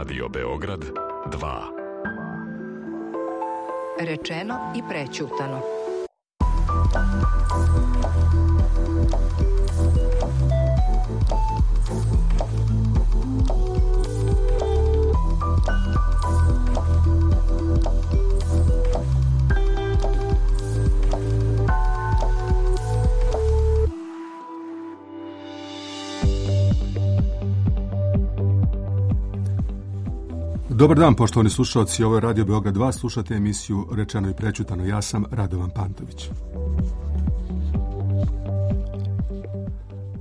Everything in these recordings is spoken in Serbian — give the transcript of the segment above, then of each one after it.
Radio Beograd 2. Rečeno i prećutano. Dobar dan, poštovani slušalci, ovo je Radio Beograd 2, slušate emisiju Rečeno i prećutano. Ja sam Radovan Pantović.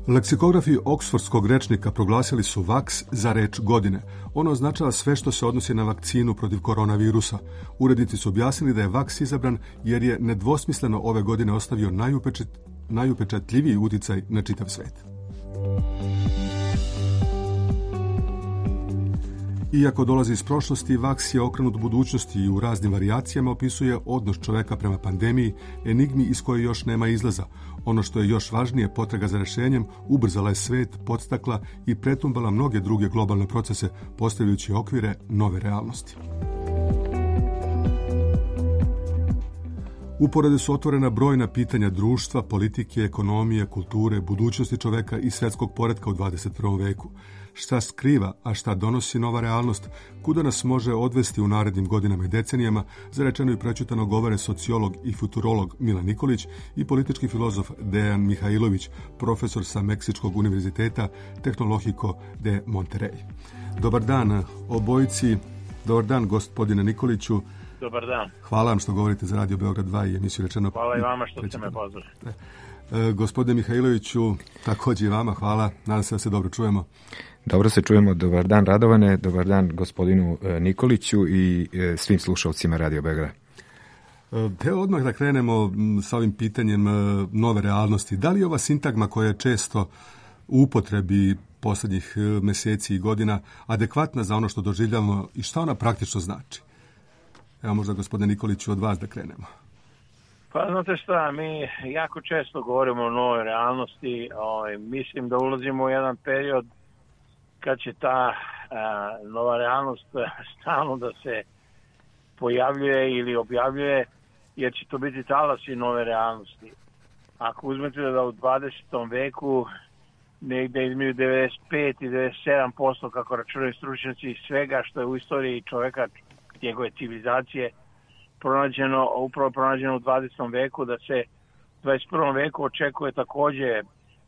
Leksikografi Oksfordskog rečnika proglasili su vaks za reč godine. Ono označava sve što se odnosi na vakcinu protiv koronavirusa. Urednici su objasnili da je vaks izabran jer je nedvosmisleno ove godine ostavio najupečatljiviji uticaj na čitav svet. Iako dolazi iz prošlosti, vaks je okrenut budućnosti i u raznim varijacijama opisuje odnos čoveka prema pandemiji, enigmi iz koje još nema izlaza. Ono što je još važnije, potraga za rešenjem ubrzala je svet, podstakla i pretumbala mnoge druge globalne procese, postavljajući okvire nove realnosti. Uporedo su otvorena brojna pitanja društva, politike, ekonomije, kulture, budućnosti čoveka i svetskog poretka u 21. veku. Šta skriva, a šta donosi nova realnost, kuda nas može odvesti u narednim godinama i decenijama, za rečeno i prećutano govore sociolog i futurolog Milan Nikolić i politički filozof Dejan Mihajlović, profesor sa Meksičkog univerziteta Tecnológico de Monterrey. Dobar dan obojici, dobar dan gospodine Nikoliću. Dobar dan. Hvala vam što govorite za Radio Beograd 2 i emisiju Rečeno. Hvala i vama što ste me pozvali. Gospodine Mihajloviću, također i vama hvala. Nadam se da se dobro čujemo. Dobro se čujemo. Dobar dan Radovane, dobar dan gospodinu Nikoliću i svim slušalcima Radio Beograd. Evo odmah da krenemo sa ovim pitanjem nove realnosti. Da li ova sintagma koja je često u upotrebi posljednjih mjeseci i godina adekvatna za ono što doživljavamo i šta ona praktično znači? Evo možda gospodine Nikoliću od vas da krenemo. Pa znate šta, mi jako često govorimo o novoj realnosti. Mislim da ulazimo u jedan period kad će ta nova realnost stalno da se pojavljuje ili objavljuje, jer će to biti talasi nove realnosti. Ako uzmete da u 20. veku negde između 95 i 97%, kako računaju stručnjaci, svega što je u istoriji čoveka, njegove civilizacije, pronađeno u 20. veku, da se u 21. veku očekuje takođe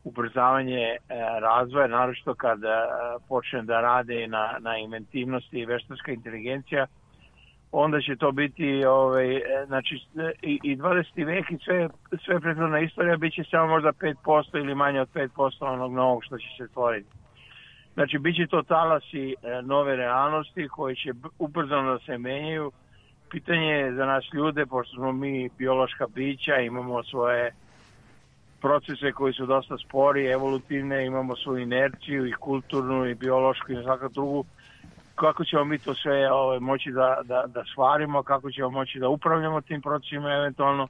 ubrzavanje razvoja, naročito kad počne da rade na inventivnosti i veštačka inteligencija, onda će to biti znači i 20. vek i sve prethodna istorija bit će samo možda 5% ili manje od 5% onog novog što će se stvoriti. Znači bit će to talasi nove realnosti koji će ubrzano da se menjaju. Pitanje je za nas ljude, pošto smo mi biološka bića, imamo svoje procese koji su dosta spori, evolutivne, imamo svoju inerciju i kulturnu i biološku i svaku drugu. Kako ćemo mi to sve moći da stvarimo, kako ćemo moći da upravljamo tim procesima eventualno.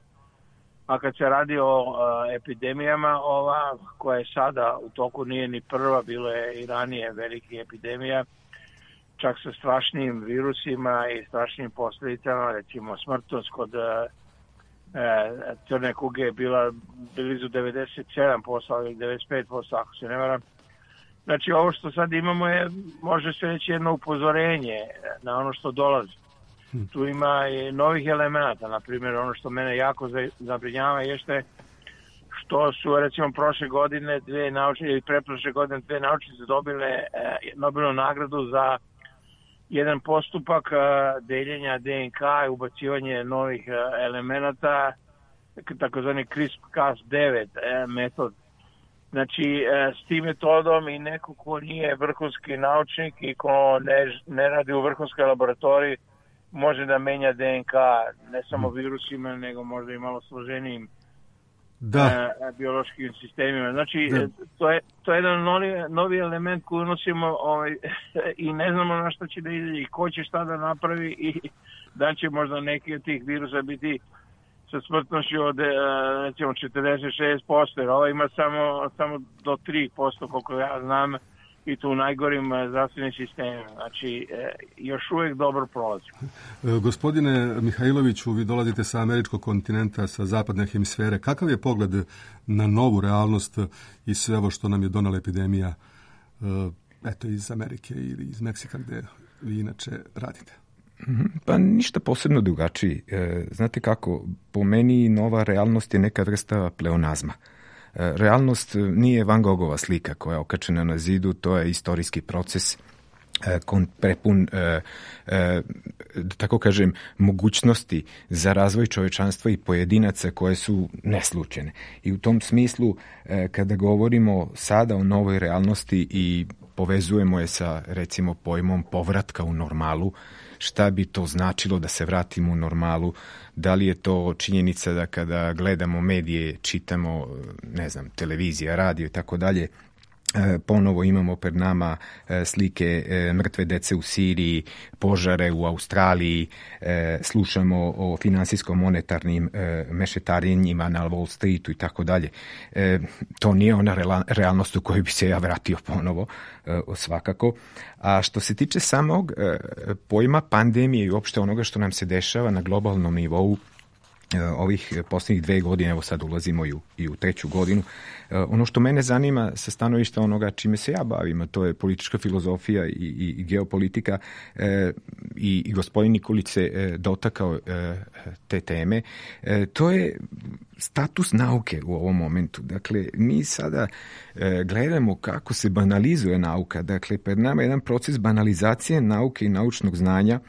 A kad se radi o epidemijama, ova koja je sada u toku nije ni prva, bilo je i ranije velike epidemija, čak sa strašnim virusima i strašnim posljedicama, recimo smrtnost kod crne kuge je bila blizu 97% ili 95%, ako se ne varam. Znači ovo što sad imamo je, može se reći, jedno upozorenje na ono što dolazi. Tu ima i novih elemenata, na primjer ono što mene jako zabrinjava jeste što su recimo prošle godine dve naučnice ili pretprošle godine dve naučnice dobile Nobelovu nagradu za jedan postupak deljenja DNK i ubacivanje novih elemenata, takozvani CRISPR-Cas9 metod. Znači, s tim metodom i neko ko nije vrhunski naučnik i ko ne radi u vrhunskoj laboratoriji može da menja DNK ne samo virusima, nego možda i malo složenijim biološkim sistemima. Znači, to je jedan novi element koji unosimo i ne znamo na što će da ide i ko će šta da napravi i da će možda neki od tih virusa biti sa smrtnošću od recimo 46%, jer ovo ima samo do 3%, koliko ja znam, i to u najgorim zdravstvenim sistemima. Znači, još uvijek dobro prolazi. Gospodine Mihajloviću, vi dolazite sa američkog kontinenta, sa zapadne hemisfere. Kakav je pogled na novu realnost i sve ovo što nam je donala epidemija iz Amerike ili iz Meksika, gde vi inače radite? Pa ništa posebno drugačiji. Znate kako, po meni nova realnost je neka vrsta pleonazma. Realnost nije Van Gogova slika koja je okačena na zidu, to je istorijski proces prepun, da tako kažem, mogućnosti za razvoj čovečanstva i pojedinaca koje su neslučajne. I u tom smislu, kada govorimo sada o novoj realnosti i povezujemo je sa, recimo, pojmom povratka u normalu, šta bi to značilo da se vratimo u normalu, da li je to činjenica da kada gledamo medije, čitamo, ne znam, televizija, radio i tako dalje, ponovo imamo pred nama slike mrtve dece u Siriji, požare u Australiji, slušamo o finansijsko-monetarnim mešetarenjima na Wall Streetu i tako dalje. To nije ona realnost u kojoj bi se ja vratio ponovo, svakako. A što se tiče samog pojma pandemije i uopšte onoga što nam se dešava na globalnom nivou, ovih posljednjih 2 godine, evo sad ulazimo i u 3. godinu. Ono što mene zanima sa stanovišta onoga čime se ja bavim, a to je politička filozofija i geopolitika, i gospodin Nikolić se dotakao te teme, to je status nauke u ovom momentu. Dakle, mi sada gledamo kako se banalizuje nauka. Dakle, pred nama je jedan proces banalizacije nauke i naučnog znanja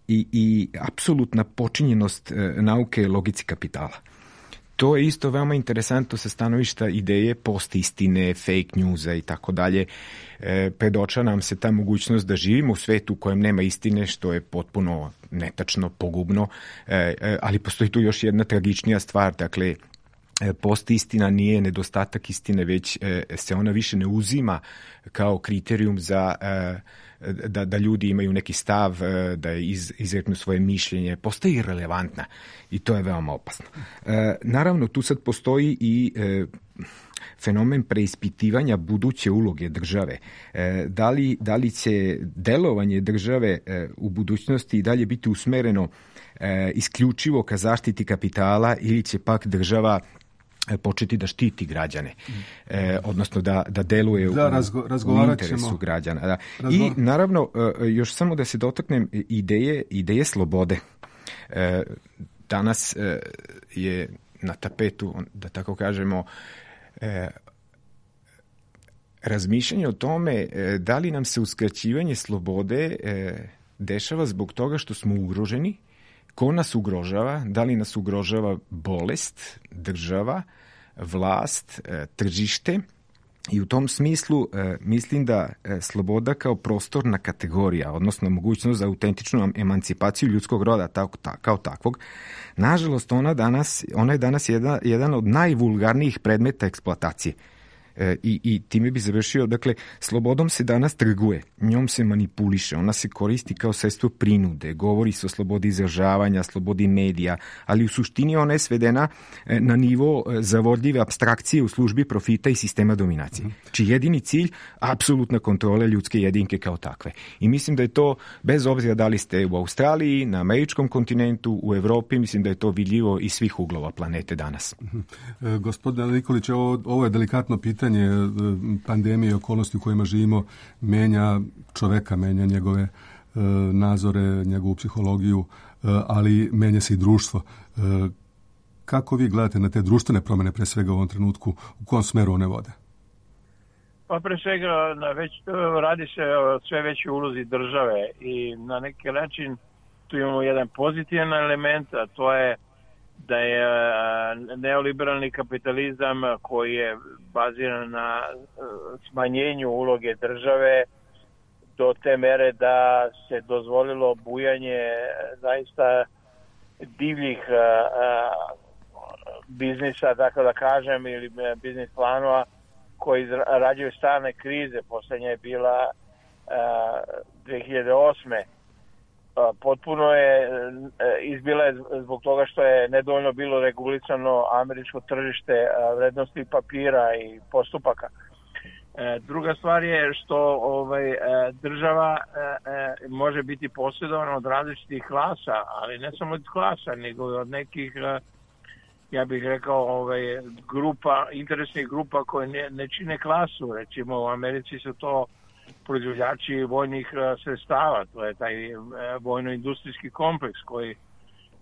i apsolutna počinjenost nauke logici kapitala. To je isto veoma interesantno sa stanovišta ideje post-istine, fake newsa i tako dalje. Predoča nam se ta mogućnost da živimo u svetu u kojem nema istine, što je potpuno netačno, pogubno, ali postoji tu još jedna tragičnija stvar. Dakle, post-istina nije nedostatak istine, već se ona više ne uzima kao kriterijum za da ljudi imaju neki stav, da izreknu svoje mišljenje, postaje irelevantna i to je veoma opasno. Naravno, tu sad postoji i fenomen preispitivanja buduće uloge države. Da li će delovanje države u budućnosti i dalje biti usmereno isključivo ka zaštiti kapitala ili će pak država početi da štiti građane, odnosno da deluje u interesu građana. Da. I naravno, još samo da se dotaknem ideje slobode. Danas je na tapetu, da tako kažemo, razmišljanje o tome da li nam se uskraćivanje slobode dešava zbog toga što smo ugroženi, ko nas ugrožava, da li nas ugrožava bolest, država, vlast, tržište, i u tom smislu mislim da sloboda kao prostorna kategorija, odnosno mogućnost za autentičnu emancipaciju ljudskog roda kao takvog, nažalost ona je danas jedan od najvulgarnijih predmeta eksploatacije. I time bi završio, dakle, slobodom se danas trguje, njom se manipuliše, ona se koristi kao sredstvo prinude, govori se o slobodi izražavanja, slobodi medija, ali u suštini ona je svedena na nivo zavodljive apstrakcije u službi profita i sistema dominacije, čiji jedini cilj apsolutna kontrola ljudske jedinke kao takve. I mislim da je to, bez obzira da li ste u Australiji, na američkom kontinentu, u Evropi, mislim da je to vidljivo iz svih uglova planete danas. Gospodine Nikolić, ovo je delikatno pitanje. Pandemije i okolnosti u kojima živimo menja čoveka, menja njegove nazore, njegovu psihologiju, ali menja se i društvo. Kako vi gledate na te društvene promjene, pre svega u ovom trenutku, u kom smeru one vode? Pa pre svega radi se o sve većoj ulozi države i na neki način tu imamo jedan pozitivan element, a to je da je neoliberalni kapitalizam koji je baziran na smanjenju uloge države do te mere da se dozvolilo bujanje zaista divljih biznisa, tako da kažem, ili biznis planova koji rađaju stalne krize. Poslednja je bila 2008. Potpuno je izbila je zbog toga što je nedovoljno bilo regulisano američko tržište vrednosti papira i postupaka. Druga stvar je što država može biti posjedovana od različitih klasa, ali ne samo od klasa, nego od nekih, ja bih rekao, grupa, interesnih grupa koje ne čine klasu. Recimo u Americi su to proizvođači vojnih sredstava, to je taj vojno-industrijski kompleks koji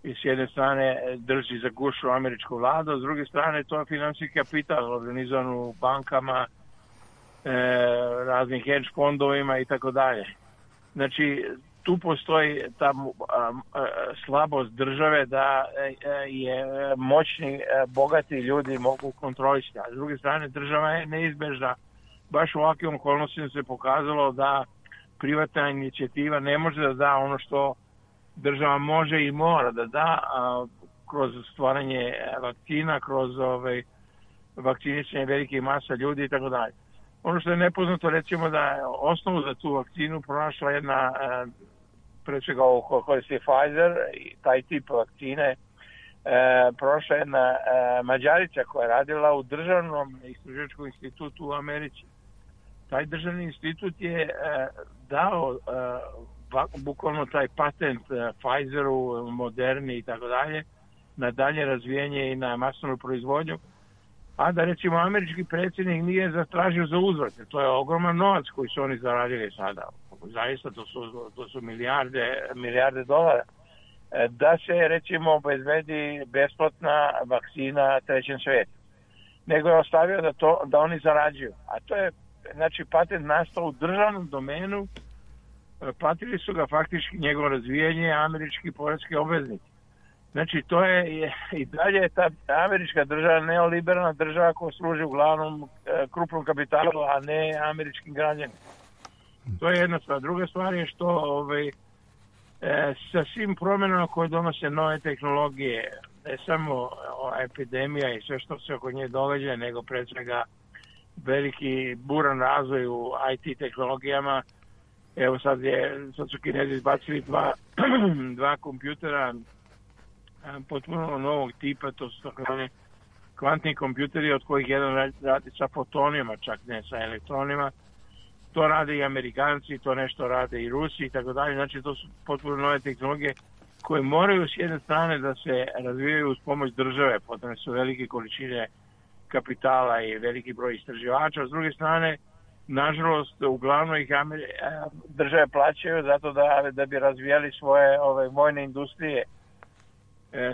s jedne strane drži za gušu američku vladu, s druge strane to je finansijski kapital organizovan u bankama, raznih hedge fondovima i tako dalje. Znači, tu postoji ta slabost države da je moćni, bogati ljudi mogu kontrolisati. A s druge strane, država je neizbežna. Baš u ovakvim okolnostima se pokazalo da privatna inicijativa ne može da da ono što država može i mora da da kroz stvaranje vakcina, kroz vakcinisanje velikih masa ljudi i tako dalje. Ono što je nepoznato, recimo da je osnovu za tu vakcinu pronašla jedna, pre svega ovo koristi Pfizer i taj tip vakcine, prošla jedna Mađarica koja je radila u državnom istraživačkom institutu u Americi. Taj državni institut je dao bukvalno taj patent Pfizeru, Moderni i tako dalje, na dalje razvijenje i na masovnu proizvodnju, a da recimo američki predsjednik nije zatražio za uzvrat. To je ogroman novac koji su oni zaradili sada. Zaista to su milijarde dolara. Da se recimo obezbedi besplatna vakcina trećem svijetu. Nego je ostavio da oni zarađuju. A to je, znači, patent nastao u državnom domenu, platili su ga faktički njegovo razvijanje američki poreski obveznici. Znači, to je i dalje ta američka država, neoliberalna država koja služi uglavnom krupnom kapitalu, a ne američkim građanima. To je jedna stvar. Druga stvar je što sa svim promjenama koje donose nove tehnologije, ne samo epidemija i sve što se oko nje događa, nego pre svega veliki buran razvoj u IT tehnologijama. Evo sad su Kinezi izbacili dva kompjutera potpuno novog tipa, to su takozvani kvantni kompjuteri, od kojih jedan radi sa fotonima, čak ne sa elektronima. To rade i Amerikanci, to nešto rade i Rusi i tako dalje. Znači, to su potpuno nove tehnologije koje moraju s jedne strane da se razvijaju uz pomoć države, potrebne su velike količine kapitala i veliki broj istraživača. S druge strane, nažalost, uglavnom ih države plaćaju zato da bi razvijali svoje vojne industrije,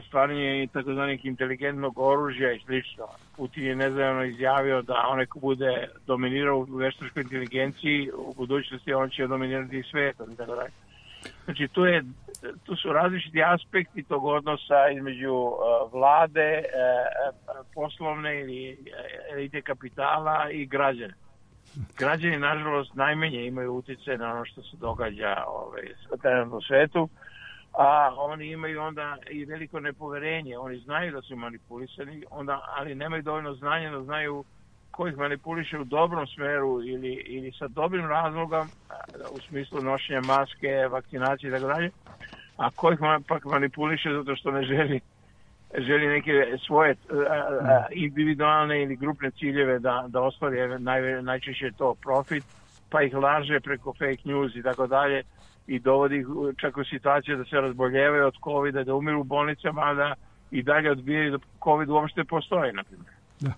stvaranje takozvanih inteligentnog oružja i slično. Putin je nedavno izjavio da onaj ko bude dominirao u veštačkoj inteligenciji, u budućnosti on će dominirati svijetom. Znači, tu su različiti aspekti tog odnosa između vlade, poslovne ili elite kapitala i građana. Građani, nažalost, najmanje imaju utjecaj na ono što se događa trenutno u svetu, a oni imaju onda i veliko nepoverenje. Oni znaju da su manipulisani, ali nemaju dovoljno znanja da znaju ko ih manipuliše u dobrom smeru ili sa dobrim razlogom, u smislu nošenja maske, vakcinacije i tako dalje, a ko ih pak manipuliše zato što ne želi neke svoje individualne ili grupne ciljeve da ostvari, najčešće to profit, pa ih laže preko fake news i tako dalje i dovodi ih čak u situaciju da se razboljevaju od COVID-a, da umiru u bolnicama, a da i dalje odbijaju da COVID uopšte postoji, na primjer. Da.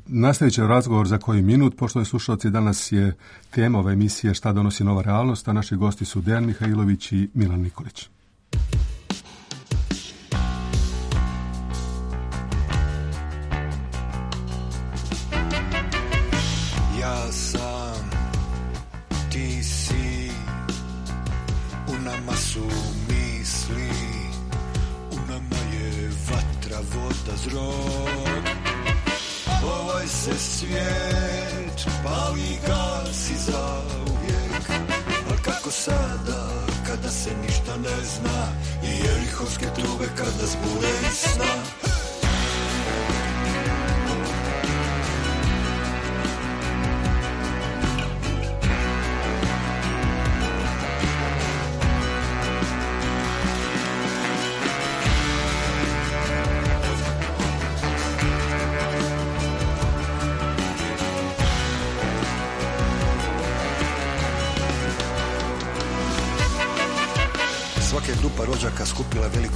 Nastavit će razgovor za koji minut. Poštovani slušalci, danas je tema ove emisije Šta donosi nova realnost, a naši gosti su Dejan Mihajlović i Milan Nikolić. Ja sam, ti si, u nama su misli, u nama je vatra, voda, zrod. Ovaj se svijet pali, gasi za uvijek. Al kako sada, kada se ništa ne zna, i jerihovske trube kada zbure iz sna.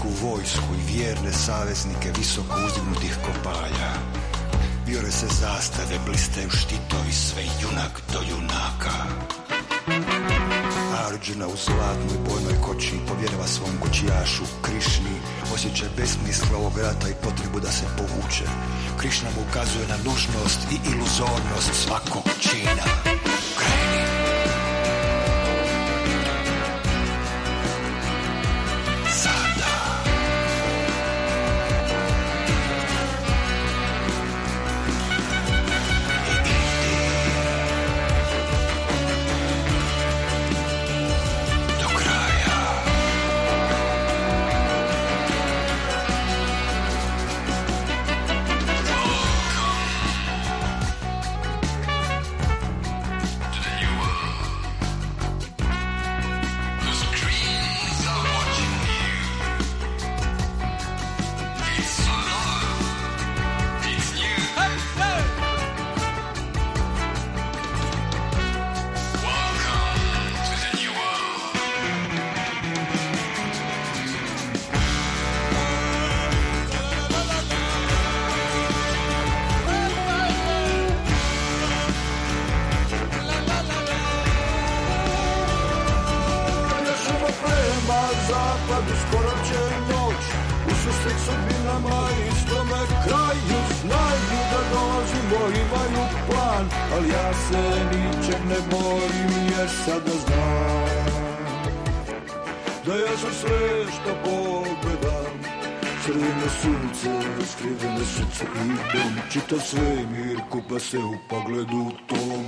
veliku vojsku i vjerne saveznike visoko uzdignutih kopalja. Vjore se zastave, blistaju štitovi, sve junak do junaka. Arđuna u zlatnoj bojnoj koči povjerava svom kočijašu Krišni osjećaj besmisla ovog rata i potrebu da se povuče. Krišna mu ukazuje na nužnost i iluzornost svakog čina. Kreni! Čitav svemir kupa se u pogledu tom.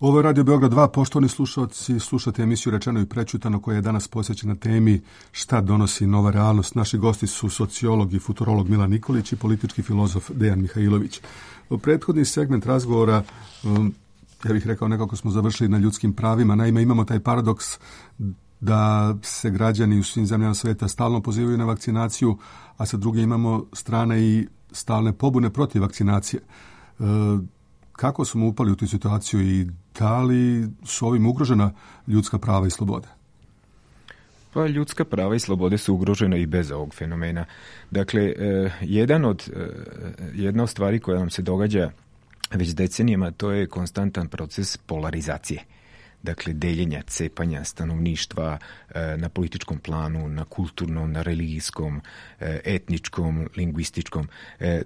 Ovo je Radio Beograd 2, poštovani slušalci, slušate emisiju Rečeno i prećutano koja je danas posvećena temi šta donosi nova realnost. Naši gosti su sociolog i futurolog Milan Nikolić i politički filozof Dejan Mihajlović. Prethodni segment razgovora, ja bih rekao nekako smo završili na ljudskim pravima. Naime, imamo taj paradoks da se građani u svim zemljama sveta stalno pozivaju na vakcinaciju, a sa druge imamo strane i stalne pobune protiv vakcinacije. Kako smo upali u tu situaciju i da li su ovim ugrožena ljudska prava i slobode? Pa ljudska prava i slobode su ugrožena i bez ovog fenomena. Dakle, jedna od stvari koja nam se događa već decenijama, to je konstantan proces polarizacije. Dakle, deljenja, cepanja stanovništva na političkom planu, na kulturnom, na religijskom, etničkom, lingvističkom.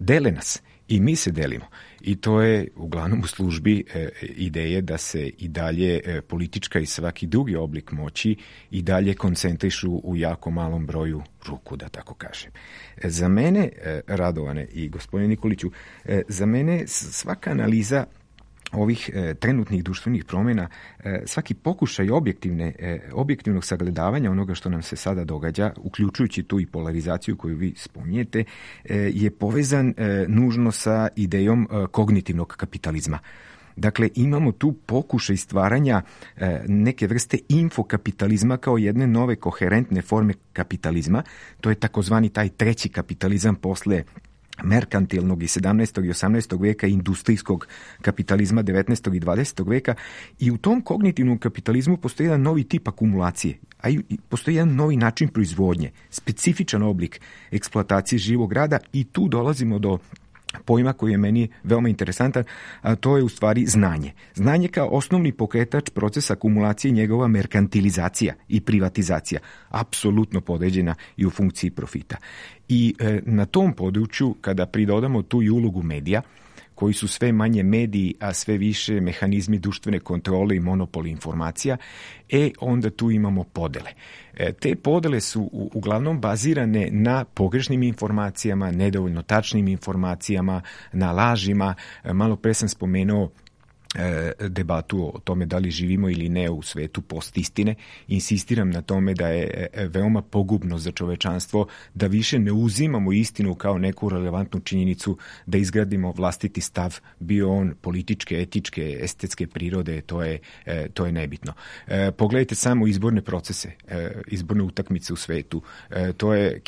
Dele nas i mi se delimo. I to je uglavnom u službi ideje da se i dalje politička i svaki drugi oblik moći i dalje koncentrišu u jako malom broju ruku, da tako kažem. Za mene, Radovane i gospodine Nikoliću, za mene svaka analiza ovih trenutnih društvenih promjena, svaki pokušaj objektivnog sagledavanja onoga što nam se sada događa, uključujući tu i polarizaciju koju vi spominjete, je povezan nužno sa idejom kognitivnog kapitalizma. Dakle, imamo tu pokušaj stvaranja neke vrste infokapitalizma kao jedne nove koherentne forme kapitalizma. To je takozvani taj treći kapitalizam posle merkantilnog i 17. i 18. veka, industrijskog kapitalizma 19. i 20. veka, i u tom kognitivnom kapitalizmu postoji jedan novi tip akumulacije, a i postoji jedan novi način proizvodnje, specifičan oblik eksploatacije živog rada, i tu dolazimo do pojma koji je meni veoma interesantan, a to je u stvari znanje. Znanje kao osnovni pokretač procesa akumulacije i njegova merkantilizacija i privatizacija, apsolutno podređena i u funkciji profita. I na tom području, kada pridodamo tu i ulogu medija, koji su sve manje mediji, a sve više mehanizmi društvene kontrole i monopoli informacija, onda tu imamo podele. Te podele su uglavnom bazirane na pogrešnim informacijama, nedovoljno tačnim informacijama, na lažima. Malo pre sam spomenuo debatu o tome da li živimo ili ne u svetu postistine. Insistiram na tome da je veoma pogubno za čovečanstvo da više ne uzimamo istinu kao neku relevantnu činjenicu da izgradimo vlastiti stav, bio on političke, etičke, estetske prirode, to je nebitno. Pogledajte samo izborne procese, izborne utakmice u svetu. To je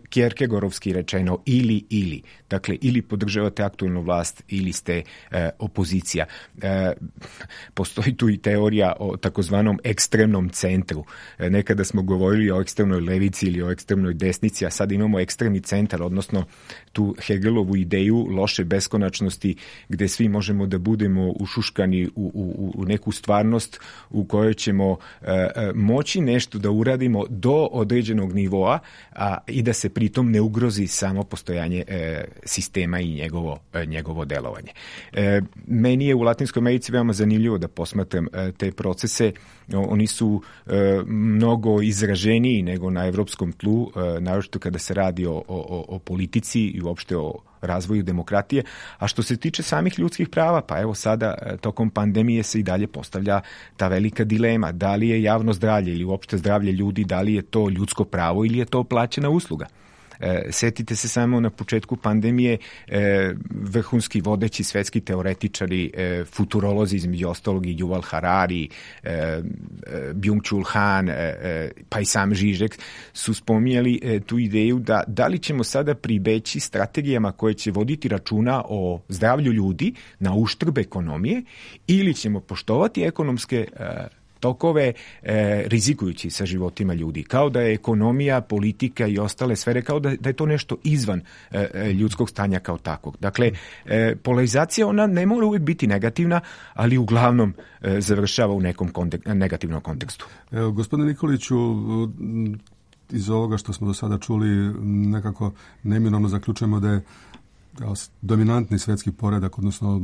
Kierkegaardovski rečeno ili. Dakle, ili podržavate aktualnu vlast ili ste opozicija. Postoji tu i teorija o takozvanom ekstremnom centru. Nekada smo govorili o ekstremnoj levici ili o ekstremnoj desnici, a sad imamo ekstremni centar, odnosno tu Hegelovu ideju loše beskonačnosti gde svi možemo da budemo ušuškani u neku stvarnost u kojoj ćemo moći nešto da uradimo do određenog nivoa i da se pritom ne ugrozi samo postojanje sistema i njegovo delovanje. Meni je u Latinskoj Americi veoma zanimljivo da posmatram te procese. Oni su mnogo izraženiji nego na evropskom tlu, naročito kada se radi o politici i uopšte o razvoju demokratije. A što se tiče samih ljudskih prava, pa evo sada tokom pandemije se i dalje postavlja ta velika dilema. Da li je javno zdravlje ili uopšte zdravlje ljudi, da li je to ljudsko pravo ili je to plaćena usluga? Setite se samo na početku pandemije vrhunski vodeći svetski teoretičari, futurolozi između ostalog i Yuval Harari, Byung-Chul Han, pa i sam Žižek su spominjali tu ideju da li ćemo sada pribeći strategijama koje će voditi računa o zdravlju ljudi na uštrb ekonomije ili ćemo poštovati ekonomske tokove rizikujući sa životima ljudi. Kao da je ekonomija, politika i ostale sfere, kao da je to nešto izvan ljudskog stanja kao takvog. Dakle, polarizacija ona ne mora uvijek biti negativna, ali uglavnom završava u nekom negativnom kontekstu. Evo, gospodine Nikoliću, iz ovoga što smo do sada čuli, nekako neminovno zaključujemo da je dominantni svetski poredak, odnosno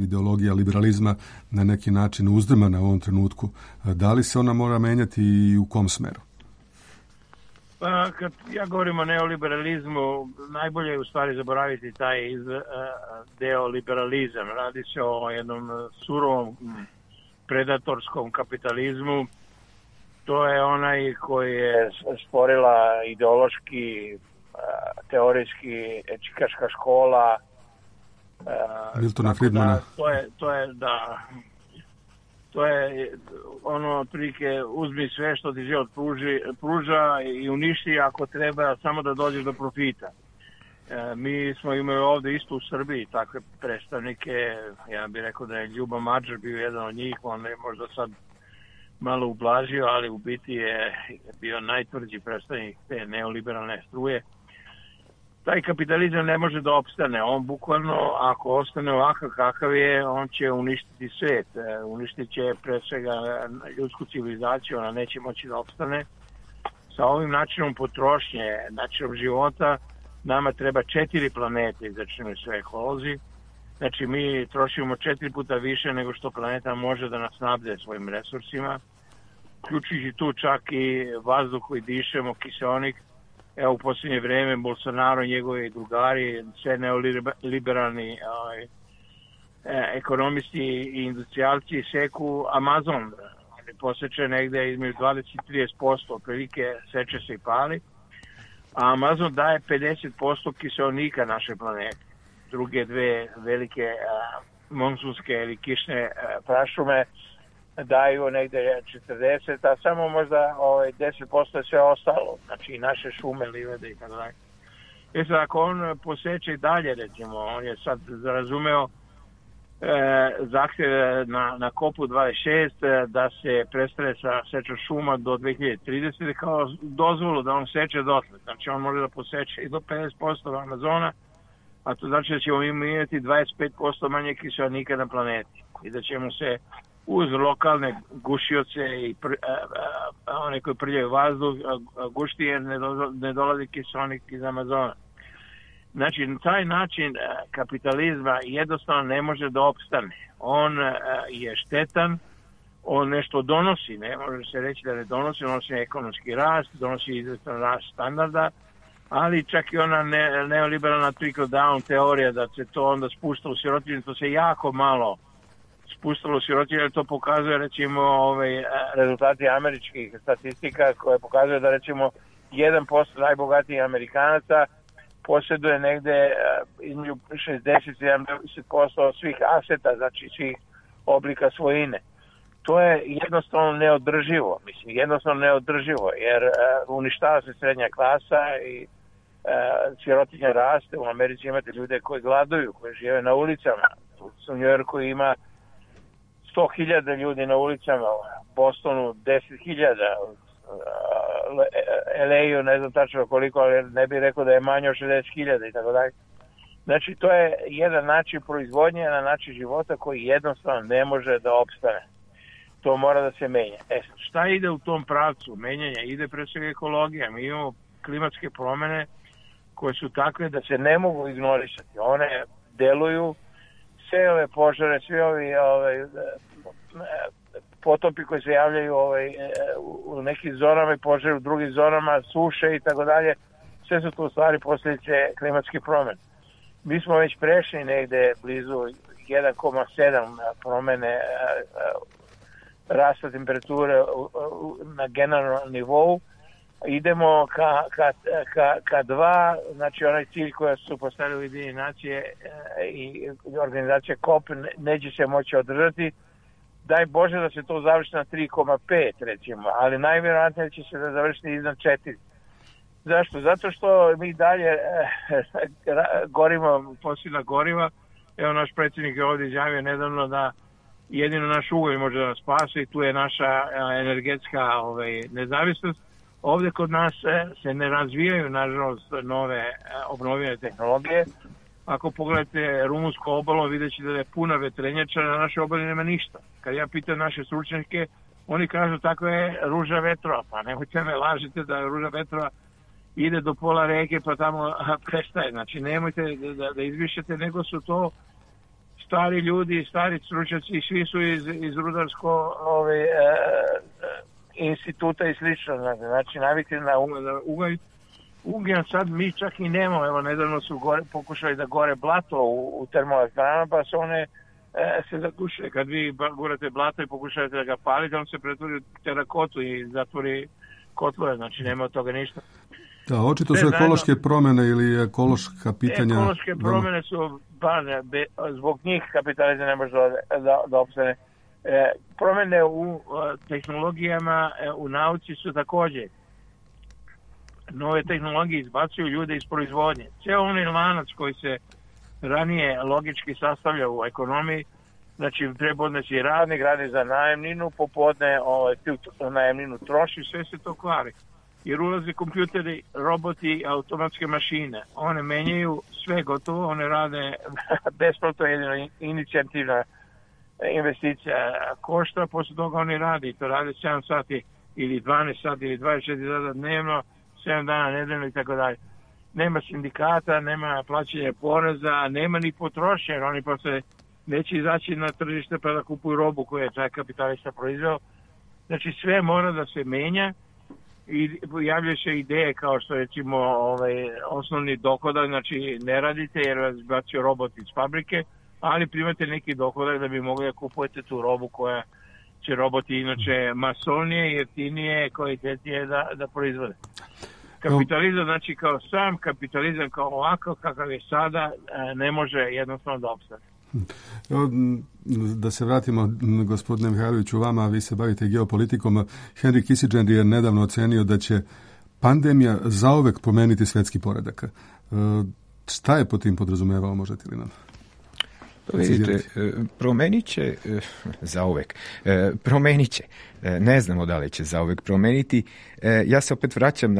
ideologija liberalizma na neki način uzdrmana u ovom trenutku. Da li se ona mora menjati i u kom smeru? Pa, kad ja govorim o neoliberalizmu, najbolje je u stvari zaboraviti taj deo liberalizam. Radi se o jednom surovom predatorskom kapitalizmu. To je onaj koji je stvorila ideološki teorijski čikaška škola Miltona Friedmana. To je ono otprilike uzmi sve što ti život pruža i uništi ako treba samo da dođeš do profita. Mi smo imali ovde isto u Srbiji takve predstavnike, ja bih rekao da je Ljubo Mađar bio jedan od njih, on je možda sad malo ublažio, ali u biti je bio najtvrđi predstavnik te neoliberalne struje. Taj kapitalizam ne može da opstane. On bukvalno, ako ostane ovakav kakav je, on će uništiti svet. Uništit će pre svega ljudsku civilizaciju, ona neće moći da opstane. Sa ovim načinom potrošnje, načinom života, nama treba 4 planete, izračunaju sve ekolozi. Znači, mi trošimo 4 puta više nego što planeta može da nas snabde svojim resursima, uključujući tu čak i vazduh koji dišemo, kiseonik. Evo, u posljednje vreme Bolsonaro i njegovi drugari, sve neoliberalni ekonomisti i industrijalci seku Amazon. Oni poseče negde između 20-30%, otprilike seče se i pali. A Amazon daje 50% kiseonika naše planete. Druge dve velike monsunske ili kišne prašume daju negde 40, a samo možda 10% je sve ostalo, znači i naše šume, livede i tako dalje. Sad, ako on poseče i dalje, recimo, on je sad razumeo zahtjev na kopu 26 da se prestane sa sečom šuma do 2030, kao dozvolu da on seče dotle. Znači, on može da poseče i do 50% Amazona, a to znači da ćemo imati 25% manje kiseonika na planeti i da ćemo se uz lokalne gušioce i one koji prljaju vazduh gušti jer ne dolazi kiseonik iz Amazona. Znači, na taj način kapitalizma jednostavno ne može da opstane. On je štetan, on nešto donosi, ne može se reći da ne donosi ekonomski rast, donosi izvestan rast standarda, ali čak i ona neoliberalna trickle down teorija da se to onda spušta u sirotinju, to se jako malo spustilo sirotinju, jer to pokazuje recimo rezultati američkih statistika koje pokazuje da recimo 1% najbogatijih Amerikanaca posjeduje negde između 60-70% svih aseta, znači svih oblika svojine. To je jednostavno neodrživo, jer uništava se srednja klasa i sirotinja raste. U Americi imate ljude koji gladuju, koji žive na ulicama. U New Yorku ima 100.000 ljudi na ulicama, u Bostonu 10.000, LA-u ne znam tačno koliko, ali ne bih rekao da je manje od 60.000 i tako dalje. Znači, to je jedan način proizvodnje, jedan način života koji jednostavno ne može da opstane. To mora da se menja. Šta ide u tom pravcu menjanja? Ide pre svega ekologija. Mi imamo klimatske promene koje su takve da se ne mogu ignorisati. One deluju, sve ove požare, svi ovi potopi koji se javljaju u nekim zonama i požare u drugim zonama, suše i tako dalje, sve su to u stvari posljedice klimatskih promena. Mi smo već prešli negde blizu 1,7 promene rasta temperature na generalnom nivou. Idemo ka 2, znači onaj cilj koja su postavili Ujedinjene nacije i organizacija COP neće se moći održati. Daj Bože da se to završi na 3,5 recimo, ali najvjerojatnije će se da završiti iznad 4. Zašto? Zato što mi dalje gorimo fosilna goriva. Evo, naš predsjednik je ovdje izjavio nedavno da jedino naš ugalj može da nas spase i tu je naša energetska nezavisnost. Ovdje kod nas se ne razvijaju, nažalost, nove obnovljene tehnologije. Ako pogledate rumunsku obalu, vidjet ćete da je puna vetrenjača, na našoj obali nema ništa. Kad ja pitam naše stručnjake, oni kažu tako je ruža vetrova. Pa nemojte me lažite da ruža vetrova ide do pola reke pa tamo prestaje. Znači nemojte da izvišete, nego su to stari ljudi, stari stručnjaci, svi su iz rudarsko instituta i slično. Znači navikli na ugalj. Ugljen sad mi čak i nemamo. Evo, nedavno su pokušali da gore blato u termoelektranama, pa su one se zagušile. Kad vi gurate blato i pokušavate da ga palite, on se pretvori u terakotu i zatvori kotlove, znači nema od toga ništa. Da, očito su ekološke promjene ili ekološka pitanja. Ekološke promjene su, zbog njih kapitalizam ne može da opstane. Promjene u tehnologijama, u nauci su također. Nove tehnologije izbacuju ljude iz proizvodnje. Cijel onaj lanac koji se ranije logički sastavlja u ekonomiji, znači treba odnesi radnik, radi za najemninu, popodne tu najemninu troši, sve se to kvari. Jer ulaze kompjuteri, roboti, automatske mašine. One menjaju sve gotovo, one rade besplatno, jedino inicijativna investicija košta, poslije toga oni radi. To rade 7 sati ili 12 sati ili 24 sata dnevno, 7 dana nedeljno i tako dalje. Nema sindikata, nema plaćanja poreza, nema ni potrošnje, jer oni posle neće izaći na tržište pa da kupuju robu koju je taj kapitalista proizveo. Znači sve mora da se menja i javljaju se ideje kao što recimo osnovni dohodak, znači ne radite jer vas bacio robot iz fabrike, ali primate neki dohodak da bi mogli da kupujete tu robu koja će roboti inače masovnije, jeftinije, kvalitetnije da proizvode. Kapitalizam, znači kao sam kapitalizam, kao ovako kakav je sada, ne može jednostavno da opstane. Da se vratimo, gospodine Mihajloviću, vama, vi se bavite geopolitikom. Henry Kissinger je nedavno ocenio da će pandemija zauvek promeniti svjetski poredak. Šta je po tim podrazumevao, možete li nam? Vidite, promenit će zauvek. Promenit će. Ne znamo da li će zauvek promeniti. Ja se opet vraćam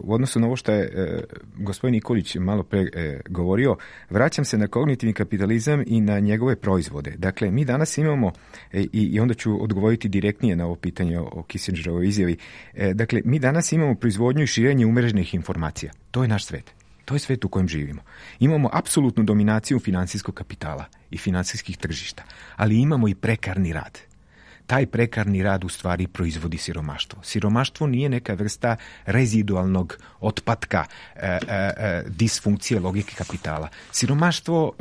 u odnosu na ovo što je gospodin Nikolić malo pre govorio, vraćam se na kognitivni kapitalizam i na njegove proizvode. Dakle, mi danas imamo, i onda ću odgovoriti direktnije na ovo pitanje o Kissingerovoj izjavi, dakle, mi danas imamo proizvodnju i širenje umreženih informacija. To je naš svet. To je svet u kojem živimo. Imamo apsolutnu dominaciju finansijskog kapitala i finansijskih tržišta, ali imamo i prekarni rad. taj prekarni rad u stvari proizvodi siromaštvo. Siromaštvo nije neka vrsta rezidualnog otpatka disfunkcije logike kapitala. Siromaštvo,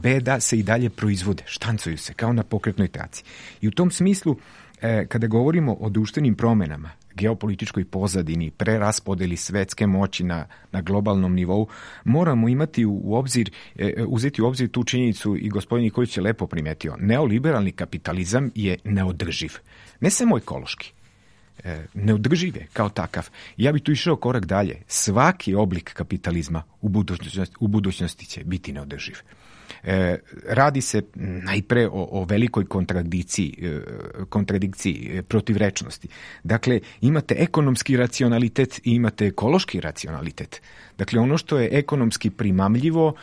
beda se i dalje proizvode, štancuju se kao na pokretnoj traci. I u tom smislu, kada govorimo o društvenim promenama, geopolitičkoj pozadini, preraspodeli svetske moći na globalnom nivou, moramo imati uzeti u obzir tu činjenicu, i gospodin Nikolić je lepo primetio, neoliberalni kapitalizam je neodrživ. Ne samo ekološki, neodrživ je kao takav. Ja bih tu išao korak dalje. Svaki oblik kapitalizma u budućnosti će biti neodrživ. Radi se najpre o velikoj kontradikciji, protivrečnosti. Dakle, imate ekonomski racionalitet i imate ekološki racionalitet. Dakle, ono što je ekonomski primamljivo,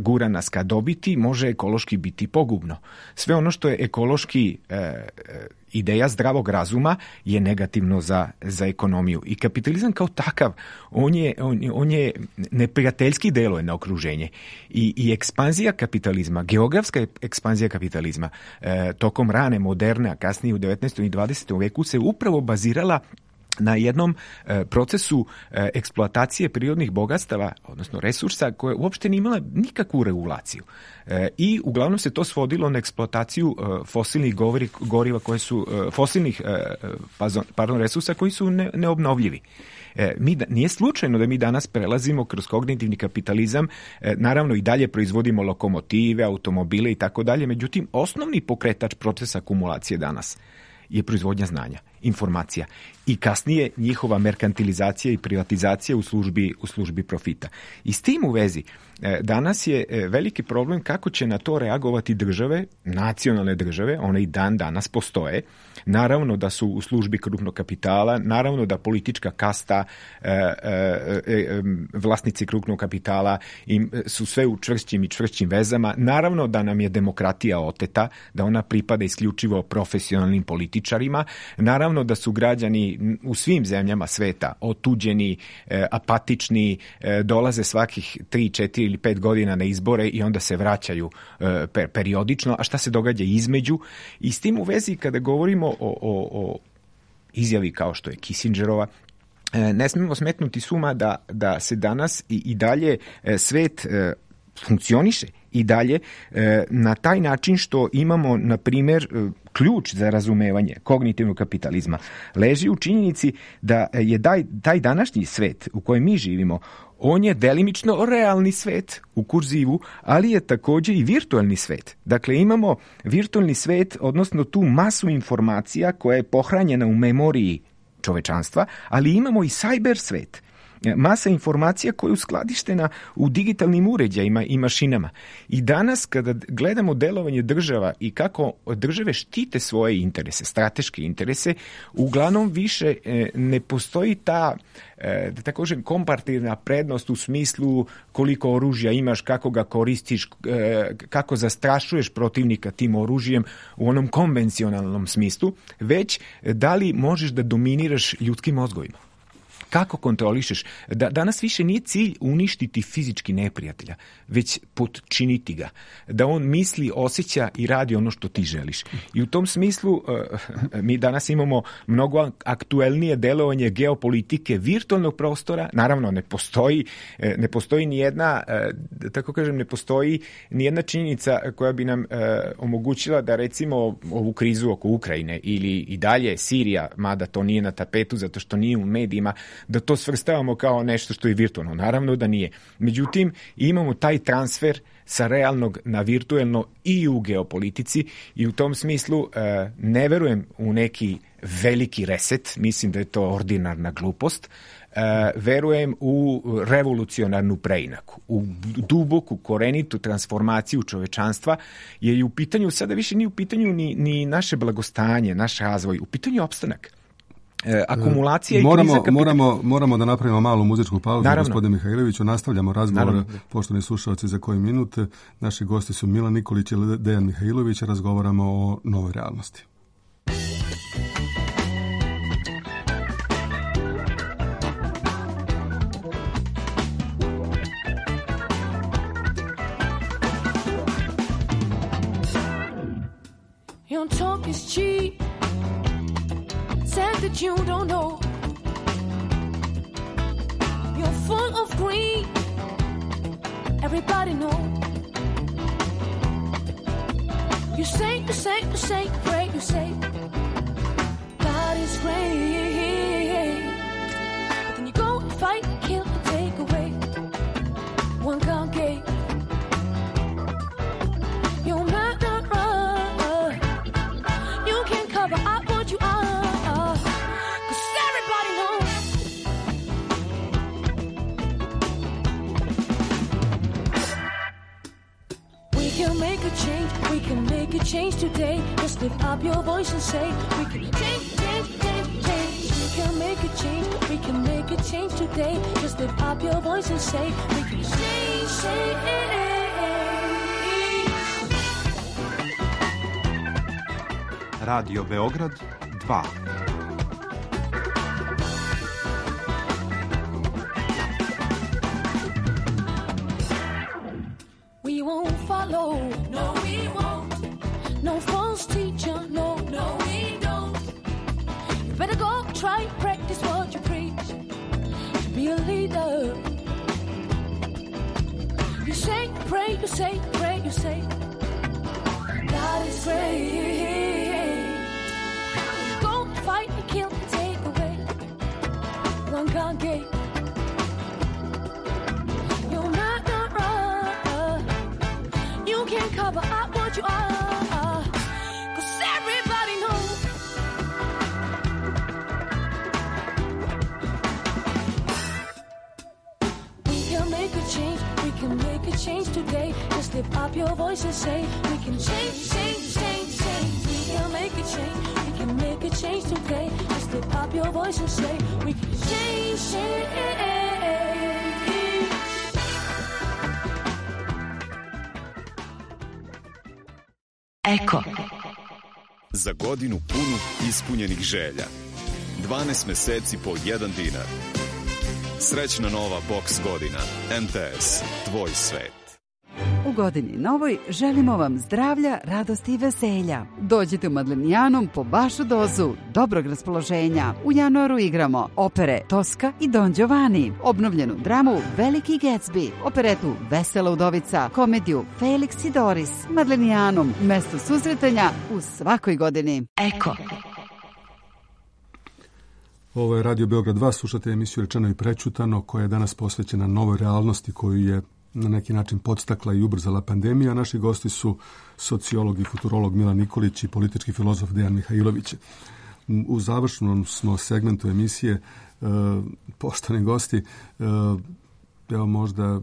gura nas ka dobiti, može ekološki biti pogubno. Sve ono što je ekološki ideja zdravog razuma je negativno za ekonomiju. I kapitalizam kao takav, on je neprijateljski deluje na okruženje. I ekspanzija kapitalizma, geografska ekspanzija kapitalizma tokom rane, moderne, a kasnije u 19. i 20. veku se upravo bazirala na jednom procesu eksploatacije prirodnih bogatstava, odnosno resursa, koje uopšte nije imala nikakvu regulaciju. I uglavnom se to svodilo na eksploataciju fosilnih goriva koje su resursa koji su neobnovljivi. Nije slučajno da mi danas prelazimo kroz kognitivni kapitalizam, naravno i dalje proizvodimo lokomotive, automobile i tako dalje, međutim osnovni pokretač procesa akumulacije danas je proizvodnja znanja, informacija i kasnije njihova merkantilizacija i privatizacija u službi profita. I s tim u vezi danas je veliki problem kako će na to reagovati države, nacionalne države, one i dan danas postoje. Naravno da su u službi krupnog kapitala, naravno da politička kasta, vlasnici krupnog kapitala su sve u čvršćim i čvršćim vezama. Naravno da nam je demokratija oteta, da ona pripada isključivo profesionalnim političarima. Naravno da su građani u svim zemljama sveta otuđeni, apatični, dolaze svakih 3, 4 ili 5 godina na izbore i onda se vraćaju periodično. A šta se događa između? I s tim u vezi kada govorimo o izjavi kao što je Kissingerova, ne smemo smetnuti suma da se danas i dalje svet funkcioniše i dalje na taj način što imamo, na primjer, ključ za razumevanje kognitivnog kapitalizma leži u činjenici da je taj današnji svet u kojem mi živimo, on je delimično realni svet u kurzivu, ali je također i virtualni svet. Dakle, imamo virtualni svet, odnosno tu masu informacija koja je pohranjena u memoriji čovečanstva, ali imamo i cyber svet. Masa informacija koja je uskladištena u digitalnim uređajima i mašinama. I danas kada gledamo delovanje država i kako države štite svoje interese, strateške interese, uglavnom više ne postoji ta, da tako kažem, komparativna prednost u smislu koliko oružja imaš, kako ga koristiš, kako zastrašuješ protivnika tim oružjem u onom konvencionalnom smislu, već da li možeš da dominiraš ljudskim mozgovima. Kako kontrolišeš? Danas više nije cilj uništiti fizički neprijatelja, već potčiniti ga. Da on misli, osjeća i radi ono što ti želiš. I u tom smislu mi danas imamo mnogo aktuelnije delovanje geopolitike virtualnog prostora. Naravno, ne postoji ni jedna, tako kažem, ne postoji ni jedna činjenica koja bi nam omogućila da recimo ovu krizu oko Ukrajine ili i dalje Sirija, mada to nije na tapetu zato što nije u medijima, da to svrstavamo kao nešto što je virtualno. Naravno da nije. Međutim, imamo taj transfer sa realnog na virtualno i u geopolitici i u tom smislu ne verujem u neki veliki reset, mislim da je to ordinarna glupost, verujem u revolucionarnu preinaku, u duboku, korenitu transformaciju čovečanstva, jer je u pitanju, sada više nije u pitanju ni naše blagostanje, naš razvoj, u pitanju je opstanak. Akumulacija i kriza moramo da napravimo malu muzičku pauzu. Gospodine Mihajloviću, nastavljamo razgovor. Poštovani slušalci, za koji minut naši gosti su Milan Nikolić i Dejan Mihajlović. Razgovaramo o novoj realnosti. You don't talk is cheap. Said that you don't know. You're full of greed. Everybody know. You say, pray, you say God is great. But then you go and fight and kill and take away. One can't gate. You're murderer. You can't cover up what you are. 'Cause everybody knows. We can make a change. We can make a change today. Just lift up your voice and say we can change. We can make a change. We can make a change today. Just lift up your voice and say we can change. Radio Beograd 2. We won't follow. No, we won't. No false teacher. No, we don't. You better go try and practice what you preach. To be a leader. You say, pray, you say, pray, you say God is great. You go fight and kill and take away. One can't gate. You're murderer. You can't cover up what you are. 'Cause everybody knows. We can make a change. We can make a change today. Just lift up your voice and say we can change. We can make a change. We can make a change today. Just lift up your voice and say we can change. Eko. Za godinu punu ispunjenih želja. 12 meseci po 1 dinar. Srećna nova boks godina. MTS. Tvoj svet. U godini novoj želimo vam zdravlja, radosti i veselja. Dođite u Madlenijanum po vašu dozu dobrog raspoloženja. U januaru igramo opere Tosca i Don Giovanni, obnovljenu dramu Veliki Gatsby, operetu Vesela udovica, komediju Felix i Doris. Madlenijanum, mesto susretanja u svakoj godini. Eko. Ovo je Radio Beograd 2, slušate emisiju Rečeno i prećutano, koja je danas posvećena novoj realnosti koju je na neki način podstakla i ubrzala pandemija. Naši gosti su sociolog i futurolog Milan Nikolić i politički filozof Dejan Mihajlović. U završnom smo segmentu emisije, poštovani gosti, evo možda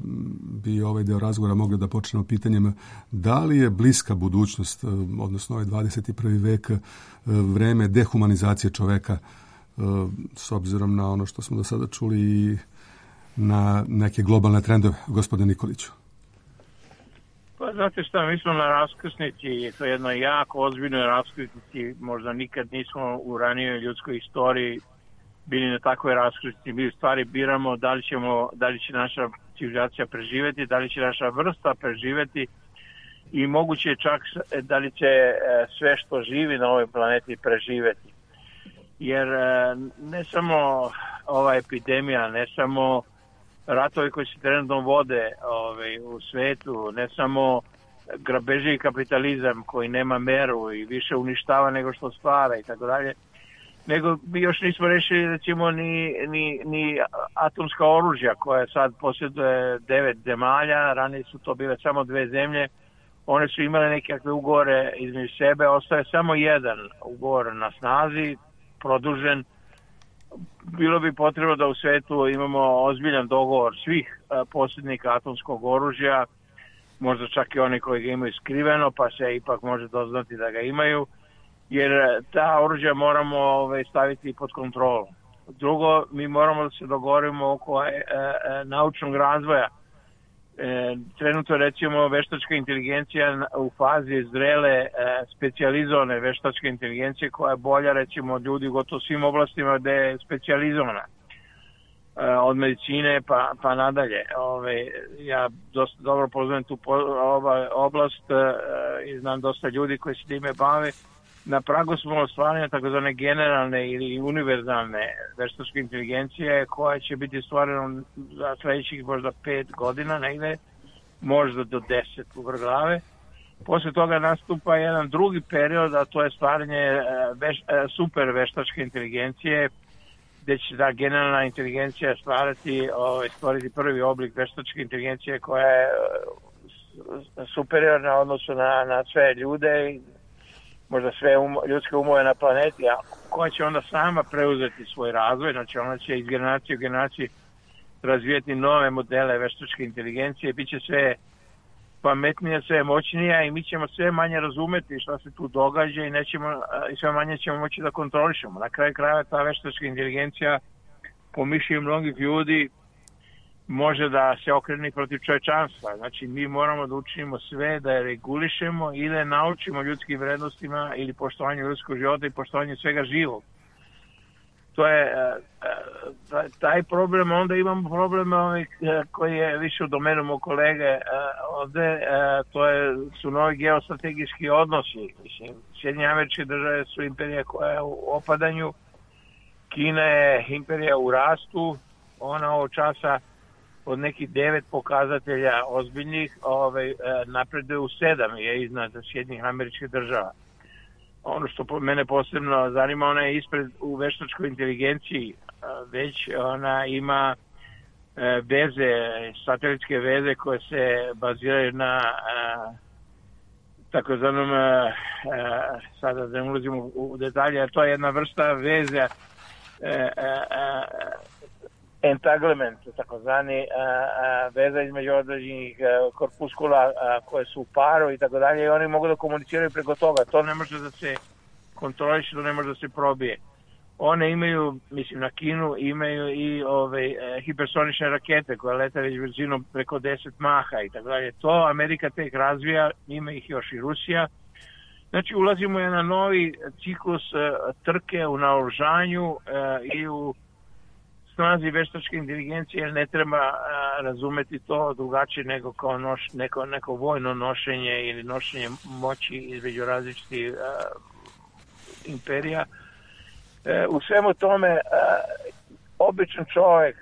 bi ovaj deo razgovora mogli da počnemo pitanjem da li je bliska budućnost, odnosno ovaj 21. vek, vreme dehumanizacije čoveka, s obzirom na ono što smo do sada čuli i na neke globalne trendove, gospodine Nikoliću? Pa znate šta, mi smo na raskrsnici, to je jedno jako ozbiljnoj raskrsnici, možda nikad nismo u ranijoj ljudskoj istoriji bili na takvoj raskrsnici. Mi u stvari biramo da li će naša civilizacija preživeti, da li će naša vrsta preživeti i moguće čak da li će sve što živi na ovoj planeti preživeti. Jer ne samo ova epidemija, ne samo ratovi koji se trenutno vode u svetu, ne samo grabeži i kapitalizam koji nema meru i više uništava nego što stvara i tako dalje, nego mi još nismo rešili recimo ni atomska oružja koja sad posjeduje 9 zemalja, ranije su to bile samo 2 zemlje, one su imale nekakve ugovore između sebe, ostaje samo jedan ugovor na snazi, produžen. Bilo bi potrebno da u svetu imamo ozbiljan dogovor svih posjednika atomskog oružja, možda čak i oni koji ga imaju skriveno, pa se ipak može doznati da ga imaju, jer ta oružja moramo staviti pod kontrolu. Drugo, mi moramo da se dogovorimo oko naučnog razvoja. Trenutno recimo veštačka inteligencija u fazi zrele specijalizovane veštačke inteligencije koja je bolja recimo od ljudi u gotovo svim oblastima gde je specijalizovana, od medicine pa nadalje. Ja dosta dobro poznajem tu oblast i znam dosta ljudi koji se time bave na pragu smo ostvaranja takozvane generalne ili univerzalne veštačke inteligencije koja će biti stvarena za sledećih možda 5 godina negde, možda do 10 u glave. Posle toga nastupa jedan drugi period, a to je stvaranje super veštačke inteligencije, gde će ta generalna inteligencija stvoriti prvi oblik veštačke inteligencije koja je superiorna odnosu na sve ljude, možda sve ljudske umove na planeti, a koja će onda sama preuzeti svoj razvoj, znači ona će iz generacije u generaciju razvijeti nove modele veštačke inteligencije, bit će sve pametnija, sve moćnija i mi ćemo sve manje razumeti šta se tu događa i sve manje ćemo moći da kontrolišemo. Na kraju krajeva ta veštačka inteligencija po mišljenju mnogih ljudi može da se okrene protiv čovečanstva. Znači mi moramo da učinimo sve da je regulišemo i da je naučimo ljudskim vrednostima ili poštovanju ljudskog života i poštovanju svega živog. To je taj problem, onda imamo problem koji je više u domenu mog kolege ovde, su novi geostrategijski odnosi. Mislim, Sjedinjene Američke Države su imperija koja je u opadanju, Kina je imperija u rastu, ona ovog časa od nekih 9 pokazatelja ozbiljnih napreduje u 7 je iznad Sjedinjenih Američkih Država. Ono što mene posebno zanima, ona je ispred u veštačkoj inteligenciji, već ona ima veze, satelitske veze koje se baziraju na takozvanom, sada da ne ulazimo u detalje, a to je jedna vrsta veze entanglement, takozvani veza između određenih korpuskula koje su u paru i tako dalje i oni mogu da komuniciraju preko toga. To ne može da se kontroliše, to ne može da se probije. One imaju, mislim na Kinu, imaju i hipersonične rakete koje lete već brzinom preko 10 maha i tako dalje. To Amerika tek razvija, ima ih još i Rusija. Znači ulazimo u jedan novi ciklus trke u naoružanju i u snazi veštačke inteligencije, jer ne treba razumeti to drugačije nego kao neko vojno nošenje ili nošenje moći između različitih imperija. U svemu tome običan čovjek,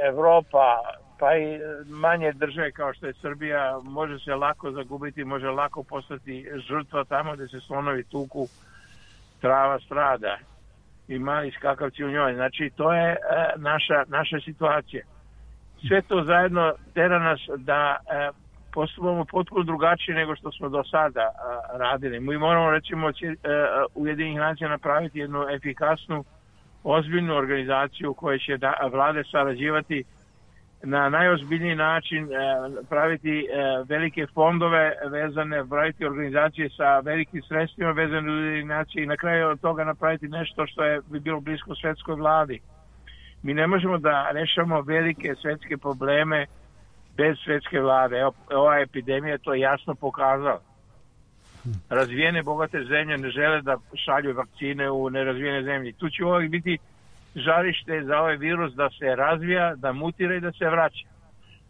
Evropa, pa i manje države kao što je Srbija, može se lako zagubiti, može lako postati žrtva tamo gde se slonovi tuku, trava strada i mali skakavci u njoj. Znači, to je naša situacija. Sve to zajedno tera nas da postupamo potpuno drugačije nego što smo do sada radili. Mi moramo, recimo, Ujedinjenih nacija napraviti jednu efikasnu, ozbiljnu organizaciju koja će vlade sarađivati na najozbiljniji način, praviti velike fondove vezane, praviti organizacije sa velikim sredstvima vezane u Ujedinjene nacije i na kraju od toga napraviti nešto što bi bilo blisko svetskoj vladi. Mi ne možemo da rešamo velike svetske probleme bez svetske vlade. Ova epidemija to jasno pokazala. Razvijene, bogate zemlje ne žele da šalju vakcine u nerazvijene zemlje. Tu će uvijek biti žarište za ovaj virus da se razvija, da mutira i da se vraća.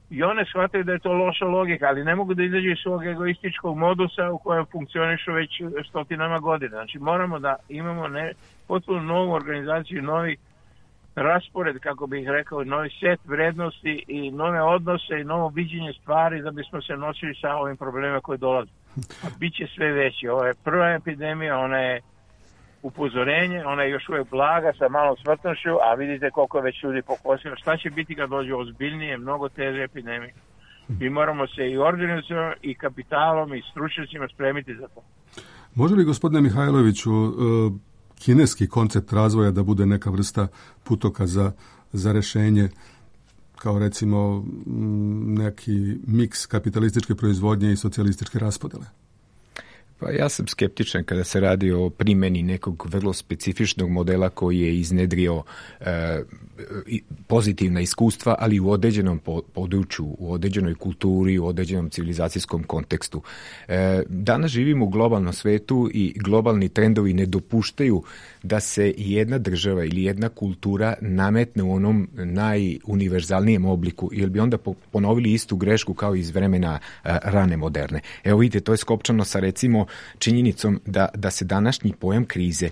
I one shvataju da je to loša logika, ali ne mogu da izađu iz svog egoističkog modusa u kojem funkcionišu već stotinama godina. Znači moramo da imamo potpuno novu organizaciju, novi raspored, kako bih rekao, novi set vrednosti i nove odnose i novo viđenje stvari da bismo se nosili sa ovim problemima koji dolaze. A bit će sve veći. Ovo je prva epidemija, ona je upozorenje, ona je još uvijek blaga sa malom smrtnošću, a vidite koliko je već ljudi pokosilo. Šta će biti kad dođe ozbiljnije, mnogo teže epidemije? Mi moramo se i organizacijom, i kapitalom, i stručnjacima spremiti za to. Može li, gospodine Mihajloviću, kineski koncept razvoja da bude neka vrsta putokaza za rešenje, kao recimo neki miks kapitalističke proizvodnje i socijalističke raspodele? Pa ja sam skeptičan kada se radi o primjeni nekog vrlo specifičnog modela koji je iznedrio pozitivna iskustva, ali u određenom području, u određenoj kulturi, u određenom civilizacijskom kontekstu. Danas živimo u globalnom svetu i globalni trendovi ne dopuštaju da se jedna država ili jedna kultura nametne u onom najuniverzalnijem obliku, jer bi onda ponovili istu grešku kao iz vremena rane moderne. Evo vidite, to je skopčano sa recimo činjenicom da se današnji pojam krize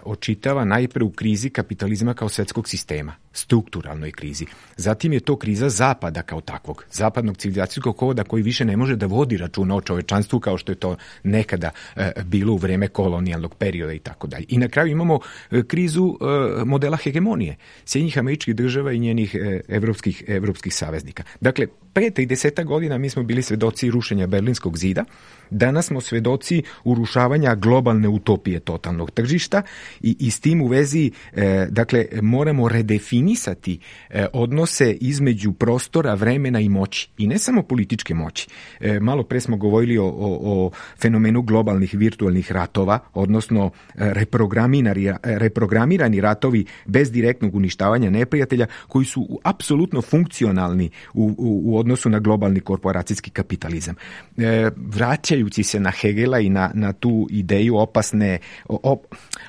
očitava najpre u krizi kapitalizma kao svetskog sistema, strukturalnoj krizi. Zatim je to kriza zapada kao takvog, zapadnog civilizacijskog koda koji više ne može da vodi računa o čovečanstvu kao što je to nekada bilo u vreme kolonijalnog perioda i tako dalje. I na kraju imamo krizu modela hegemonije Sjedinjenih Američkih Država i njenih evropskih saveznika. Dakle, pre 30 godina mi smo bili svedoci rušenja Berlinskog zida, danas smo svedoci urušavanja globalne utopije totalnog tržišta i s tim u vezi dakle, moramo redefinisati odnose između prostora, vremena i moći. I ne samo političke moći. Malo pre smo govorili o fenomenu globalnih virtualnih ratova, odnosno reprogramirani ratovi bez direktnog uništavanja neprijatelja koji su apsolutno funkcionalni u odnosu na globalni korporacijski kapitalizam. Vraćajući se na Hegela i na tu ideju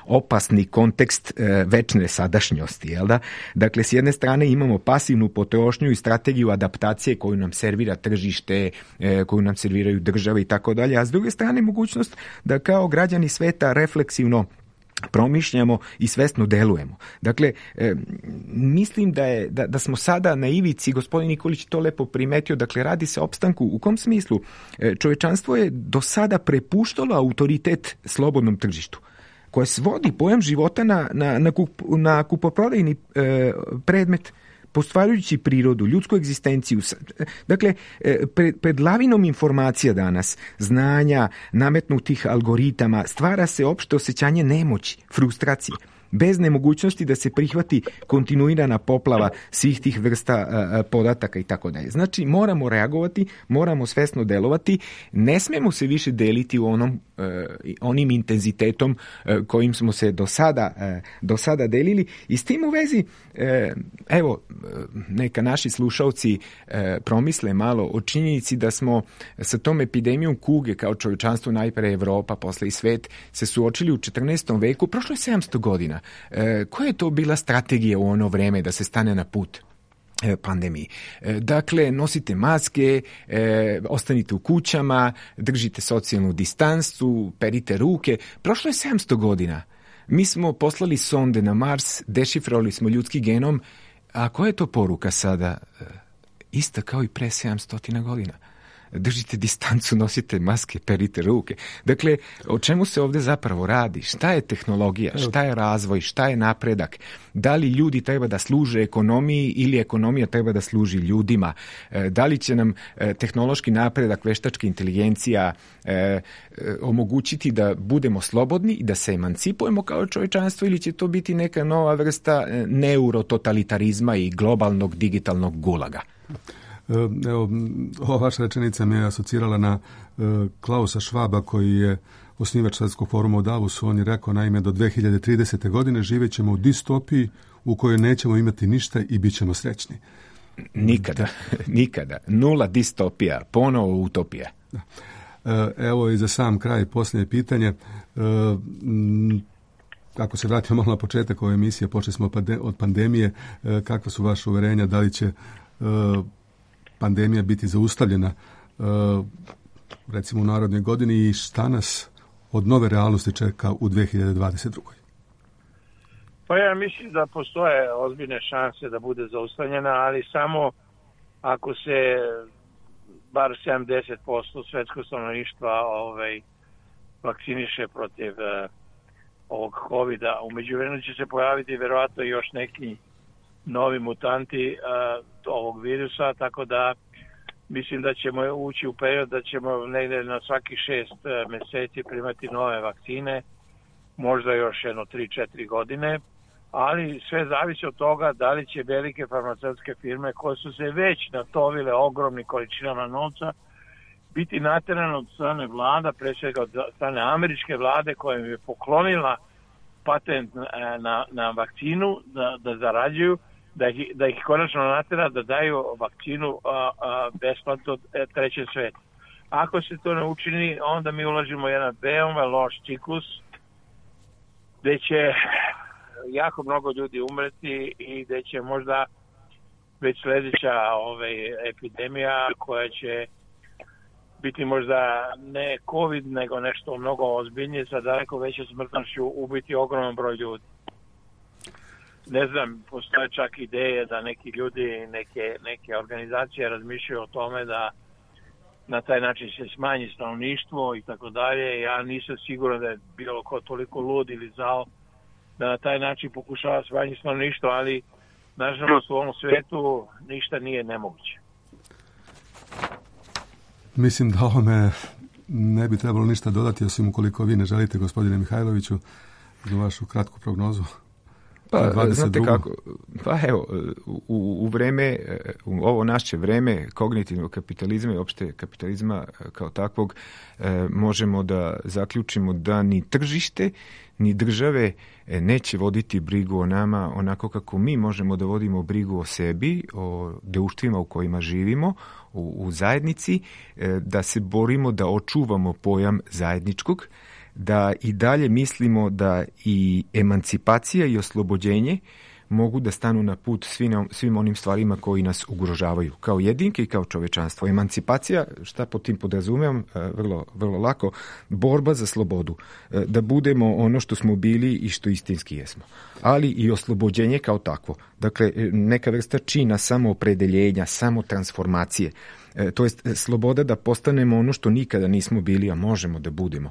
opasni kontekst večne sadašnjosti. Jel da? Dakle, s jedne strane imamo pasivnu potrošnju i strategiju adaptacije koju nam servira tržište, koju nam serviraju države i tako dalje, a s druge strane mogućnost da kao građani sveta refleksivno promišljamo i svesno delujemo. Dakle, mislim da smo sada na ivici, gospodin Nikolić to lepo primetio, dakle radi se o opstanku. U kom smislu? Čovečanstvo je do sada prepuštalo autoritet slobodnom tržištu, koje svodi pojam života na kupoprodajni predmet, postvarujući prirodu, ljudsku egzistenciju. Dakle, pred lavinom informacija danas, znanja, nametnutih algoritama, stvara se opšte osjećanje nemoći, frustracije, bez nemogućnosti da se prihvati kontinuirana poplava svih tih vrsta podataka i tako dalje. Znači, moramo reagovati, moramo svesno delovati, ne smemo se više deliti u onim intenzitetom kojim smo se do sada delili i s tim u vezi, evo, neka naši slušalci promisle malo o činjenici da smo sa tom epidemijom kuge kao čovječanstvo, najpre Evropa, posle i svet, se suočili u 14. veku, prošlo je 700 godina. Koja je to bila strategija u ono vreme da se stane na put pandemiji? Dakle, nosite maske, ostanite u kućama, držite socijalnu distancu, perite ruke. Prošlo je 700 godina. Mi smo poslali sonde na Mars, dešifrovali smo ljudski genom, a koja je to poruka sada? Ista kao i pre 700 godina. Držite distancu, nosite maske, perite ruke. Dakle, o čemu se ovdje zapravo radi? Šta je tehnologija? Šta je razvoj? Šta je napredak? Da li ljudi treba da služe ekonomiji ili ekonomija treba da služi ljudima? Da li će nam tehnološki napredak, veštačka inteligencija omogućiti da budemo slobodni i da se emancipujemo kao čovječanstvo ili će to biti neka nova vrsta neurototalitarizma i globalnog digitalnog gulaga? Evo, ova vaša rečenica me je asocirala na Klausa Schwaba, koji je osnivač Svjetskog foruma u Davosu. On je rekao, naime, do 2030. godine živjet ćemo u distopiji u kojoj nećemo imati ništa i bit ćemo srećni. Nikada. Nula distopija, ponovo utopija. Evo i za sam kraj posljednje pitanje. Ako se vratimo malo na početak ove emisije, počeli smo od pandemije. Kakva su vaše uverenja? Da li će pandemija biti zaustavljena recimo u narednoj godini i šta nas od nove realnosti čeka u 2022. Pa ja mislim da postoje ozbiljne šanse da bude zaustavljena, ali samo ako se bar 70% svetskog stanovništva vakciniše protiv ovog COVID-a. U međuvremenu će se pojaviti verovatno još neki novi mutanti ovog virusa, tako da mislim da ćemo ući u period da ćemo negdje na svaki 6 mjeseci primati nove vakcine, možda još 3-4 godine, ali sve zavisi od toga da li će velike farmaceutske firme koje su se već natovile ogromnim količinama novca biti naterane od strane vlada, pre svega od strane američke vlade koja im je poklonila patent na vakcinu da zarađuju, da ih konačno natera da daju vakcinu besplatno trećem svetu. Ako se to ne učini, onda mi ulažimo jedan veoma loš ciklus gdje će jako mnogo ljudi umreti i gdje će možda već sljedeća epidemija koja će biti možda ne COVID, nego nešto mnogo ozbiljnije sa daleko većom smrtnošću ubiti ogroman broj ljudi. Ne znam, postoje čak ideje da neki ljudi, neke organizacije razmišljaju o tome da na taj način se smanji stanovništvo i tako dalje. Ja nisam siguran da je bilo ko toliko lud ili zao da na taj način pokušava smanjiti stanovništvo, ali nažalost u ovom svetu ništa nije nemoguće. Mislim da ovome ne bi trebalo ništa dodati, osim ukoliko vi ne želite, gospodine Mihajloviću, za vašu kratku prognozu. Pa, znate kako, pa evo, u vreme, u ovo naše vreme kognitivnog kapitalizma i opšte kapitalizma kao takvog, možemo da zaključimo da ni tržište, ni države neće voditi brigu o nama onako kako mi možemo da vodimo brigu o sebi, o društvima u kojima živimo, u zajednici, da se borimo da očuvamo pojam zajedničkog, da i dalje mislimo da i emancipacija i oslobođenje mogu da stanu na put svim onim stvarima koji nas ugrožavaju, kao jedinke i kao čovečanstvo. Emancipacija, šta pod tim podrazumijem, vrlo lako, borba za slobodu, da budemo ono što smo bili i što istinski jesmo. Ali i oslobođenje kao takvo. Dakle, neka vrsta čina samoopredeljenja, samotransformacije. To jest sloboda da postanemo ono što nikada nismo bili, a možemo da budemo.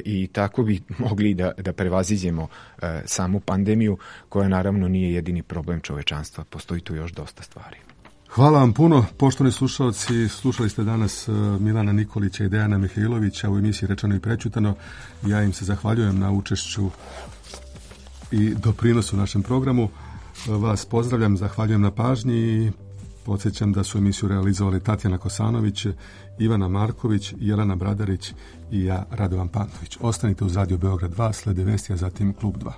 I tako bi mogli da prevaziđemo samu pandemiju, koja naravno nije jedini problem čovečanstva. Postoji tu još dosta stvari. Hvala vam puno, poštovani slušalci. Slušali ste danas Milana Nikolića i Dejana Mihajlovića u emisiji Rečeno i prećutano. Ja im se zahvaljujem na učešću i doprinosu našem programu. Vas pozdravljam, zahvaljujem na pažnji i podsjećam da su emisiju realizovali Tatjana Kosanović, Ivana Marković, Jelena Bradarić i ja, Radovan Pantović. Ostanite uz Radio Beograd 2, slede vesti, a zatim Klub 2.